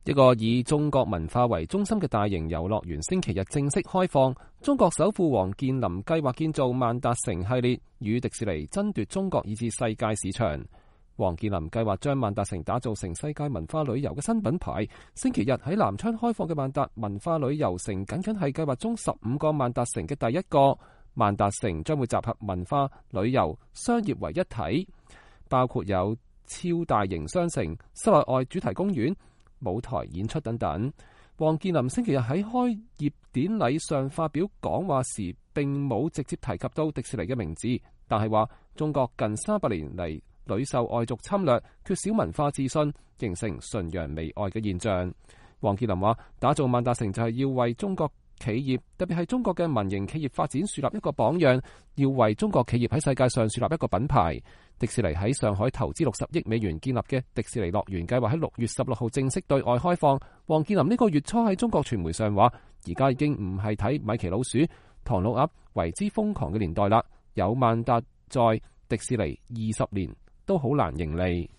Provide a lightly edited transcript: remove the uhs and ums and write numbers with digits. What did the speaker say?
一個以中國文化為中心嘅大型遊樂園星期日正式開放。中國首富王健林計劃建造萬達城系列，與迪士尼爭奪中國以至世界市場。王健林計劃將萬達城打造成世界文化旅遊嘅新品牌。星期日喺南昌開放嘅萬達文化旅遊城，僅僅係計劃中15個萬達城嘅第一個。萬達城將會集合文化、旅遊、商業為一體，包括有超大型商城、室內外主題公園、舞台演出等等。王健林星期日喺開業典禮上發表講話時，並冇直接提及到迪士尼嘅名字，但係話中國近300年嚟屢受外族侵略，缺少文化自信，形成崇洋媚外嘅現象。王健林話：打造萬達城就係要為中國企業，特別係中國嘅民營企業發展樹立一個榜樣，要為中國企業喺世界上樹立一個品牌。迪士尼喺上海投資60億美元建立嘅迪士尼樂園計劃喺6月16號正式對外開放。王健林呢個月初喺中國傳媒上話：而家已經唔係睇米奇老鼠、唐老鴨為之瘋狂嘅年代啦，有萬達在，迪士尼20年都好難盈利。